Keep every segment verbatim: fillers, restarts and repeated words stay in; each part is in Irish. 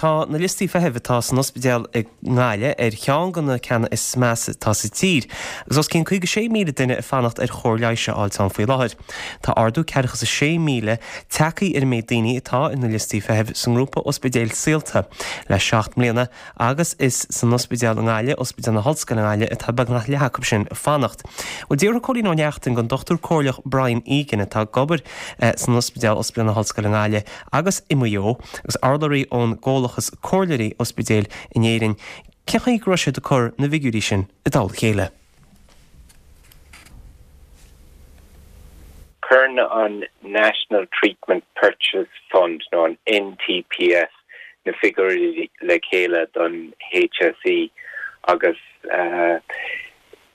Tá na liostaí feithimh atá san ospidéal i nGaillimh ar cheann de na ceanna is measa atá sa tír, agus os cionn caoga sé míle duine ag fanacht ar chóir leighis a fháil ann faoi láthair. Tá ardú ceathracha is a sé míle tagtha ar an méid daoine atá ar na liostaí feithimh sa ngrúpa ospidéil Saolta le seacht mbliana agus is san ospidéal i nGaillimh, Ospidéal na hOllscoile i nGaillimh, atá beagnach leath acu sin ag fanacht. Bhuel d'fhiafraigh Cóilín Ó Neachtain den Dochtúir Comhairleach Brian Egan atá ag obair san ospidéal Ospidéal na hOllscoile i nGaillimh agus i Maigh Eo agus urlabhraí ón gComhlachas Comhairleoirí Ospidéil in Éirinn, cén chaoi go raibh siad ag cur na bhfigiúirí sin i dtoll a chéile. Cuireann an National Treatment Purchase Fund nó an NTPF na figiúirí le chéile don HSE agus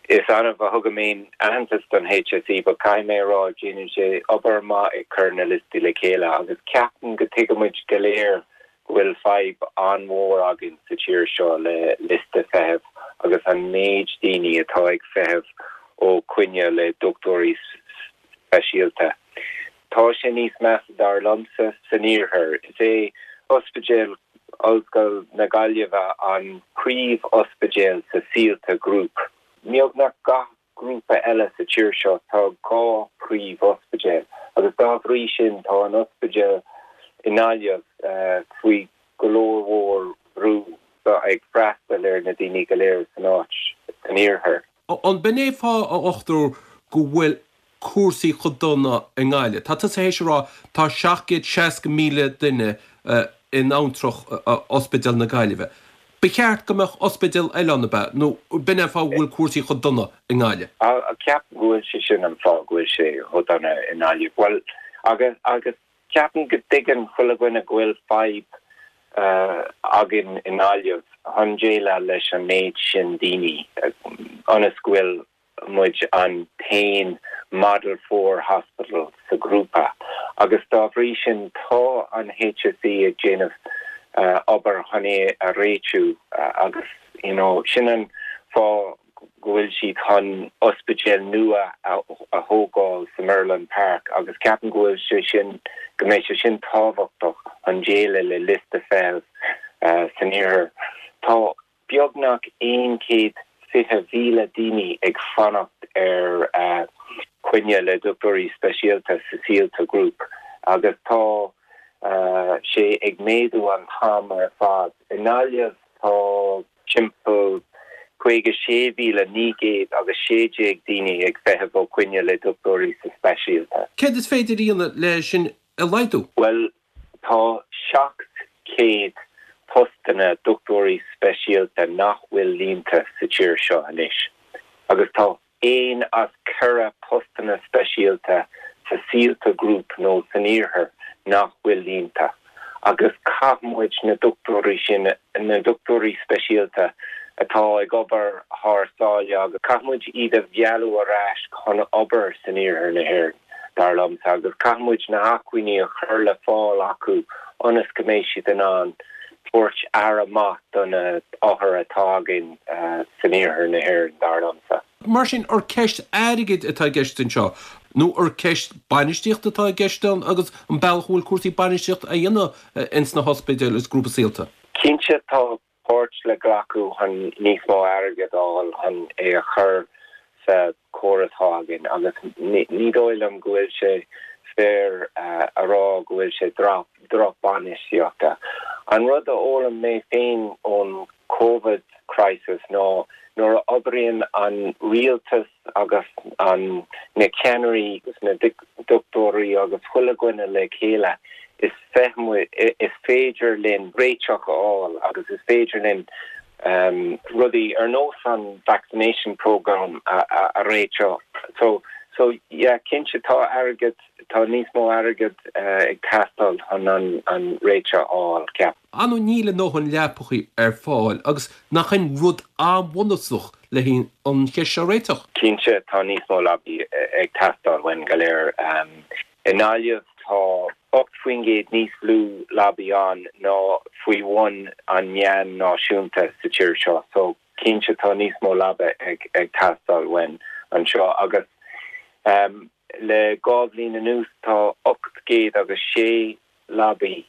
is annamh a thugaim aon aitheantas don HSE but caithfidh mé a rá déanann sé obair maith ag cur na liostaí le chéile agus ceapaim go dtuigeann muid go léir go bhfuil fadhb an-mhór againn sa tír seo le liosta feithimh agus an méid daoine atá ag feitheamh ó coinne le dochtúirí speisialta. Tá sé níos measa dar liomsa san iarthar. Is é Ospidéal Ollscoil na Gaillimhe an príomh-ospidéal sa Saolta Group. Beagnach gach grúpa eile sa tír seo tá dhá phríomh-ospidéal agus dá bhrí sin tá an ospidéal i nGaillimh faoi go leor mhór brú ag freastal ar na daoine go léir san áit san iarthar. An b'in é fáth, a dhochtúir, go bhfuil cúrsaí chomh dona i nGaillimh? Tá tusa théis a rá tá seacht gcéad seasca míle duine in abhantrach Ospidéal na Gaillimhe. Ba cheart go mbeadh ospidéal eile ann, ab ea? Nó b'in é an fáth go bhfuil cúrsaí chomh dona i nGaillimh? Ceapaim go bhfuil sé sin an fáth go bhfuil sé chomh dona i nGaillimh. Bhuel, agus, agus ceapaim go dtuigeann chuile dhuine go bhfuil fadhb againn i nGaillimh chun déileáil leis an méid sin daoine, ionas go bhfuil muid an t-aon Model Four Hospital sa ghrúpa agus dá bhrí sin tá an HSE ag déanamh obair chun é a réitiú agus you know sin an fáth go bhfuil siad chun ospidéal nua a thógáil sa Merlin Park agus ceapaim go bhfuil sé sin go mbeidh sé sin tábhachtach chun déileáil le liosta feithimh san iarthar. Tá beagnach aon chéad fiche mhíle daoine ag fanacht ar coinne le dochtúirí speisialta sa Saolta Group agus tá sé ag méadú an t-am ar fad. I nGaillimh tá timpeall caoga sé mhíle naoi gcéad agus sé déag daoine ag feitheamh ó coinne le dochtúirí sa speisialta. Céard is féidir a dhéanamh le sin a laghdú? Bhuel, tá seacht chéad postanna dochtúirí speisialta nach bhfuil líonta sa tír seo anois agus tá aon as ceithre postanna speisialta sa Saolta Group nó san iarthar nach bhfuil líonta agus caithfidh muid na dochtúirí sin, na dochtúirí speisialta atá ag obair thar sáile agus caithfidh muid iad a mhealladh ar ais chun obair san iarthar na hÉireann, dar liomsa, agus caithfidh muid na hacmhainní a chur le fáil acu ionas go mbeidh siad in ann tabhairt aire maith do na othair atá againn san iarthar na hÉireann, dar liomsa. Mar sin, ar ceist airgid atá i gceist anseo, nó ar ceist bainistíochta atá i gceist ann agus an bealach a bhfuil cúrsaí bainistíochta á dhéanamh ins na hospidéil is grúpa Saolta? Cinnte, tá páirt le glacadh chun níos mó airgid a fháil chun é a chur sa chóras atá againn agus ní dóigh liom go bhfuil sé fair a rá go bhfuil sé droch-bhainistíochta. An rud a d'fhoghlaim mé féin ón Covid crisis ná nuair a oibríonn an rialtas agus an na ceannairí agus na dochtúirí agus chuile dhuine le chéile is is féidir linn réiteach a fháil agus is féidir linn rudaí ar nós an vaccination programme a réiteach. So so yeah cinnte tá airgead tá níos mó airgead ag teastáil chun an an réiteach a fháil ceapaim. Ar ndóigh níl a ndóthain leapachaí ar fáil agus nach in rud an-bhunúsach le haghaidh an cheist seo a réiteach? Cinnte tá níos mó leapaí ag teastáil uainn go léir. I nGaillimh tá ocht faoin gcéad níos lú leapaí ann ná faoi bhun an meán náisiúnta sa tír seo so cinnte tá níos mó leaba ag ag teastáil uainn anseo agus le dhá bhliain anuas tá ocht gcéad agus sé leabaí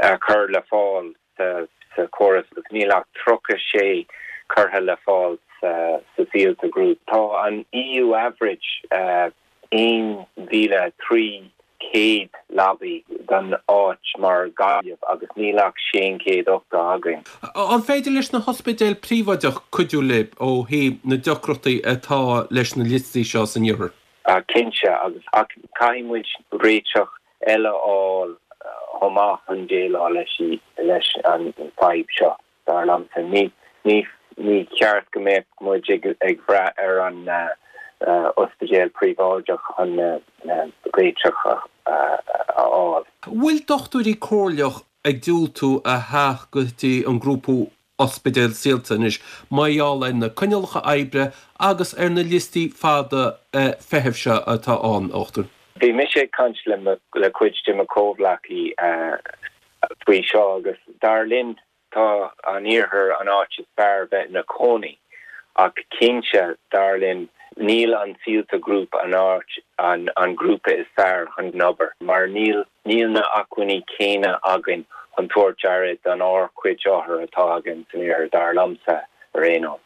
a chur le fáil sa sa chóras agus níl ach tríocha sé curtha le fáil sa sa Saolta Group. Tá an EU average uh, aon mhíle trí chéad leabaí don áit mar Gaillimh agus níl ach sé chéad ochtó againn. An féidir leis na hospidéil príobháideach cuidiú libh ó thaobh na deacrachtaí atá leis na liostaí seo san iarthar? Uh, cinnte agus ach caithfidh muid réiteach eile fháil chomh maith chun déileáil leis leis an fadhb seo dar liomsa ní ní ní ceart go mbeadh muid ag ag brath ar an uh, uh, ospidéal príobháideach chun uh, réiteach a fháil. Bhfuil dochtúirí comhairleach ag diúltú a theacht go dtí an grúpa ospidéal Saolta anois mar gheall ar na coinníollacha oibre agus ar na liostaí fada feithimh seo atá ann dochtúir. Bhí mise ag caint le le cuid de mo chomhghleacaí faoi seo agus dar linn tá an iarthar an áit is fearr bheith ina cónaí ach cinnte dar linn níl an Saolta Group an áit an an grúpa is fearr chun obair mar níl níl na acmhainní céanna againn chun tabhairt aire don ár cuid othar atá againn san iarthar dar liomsa ar aon nós.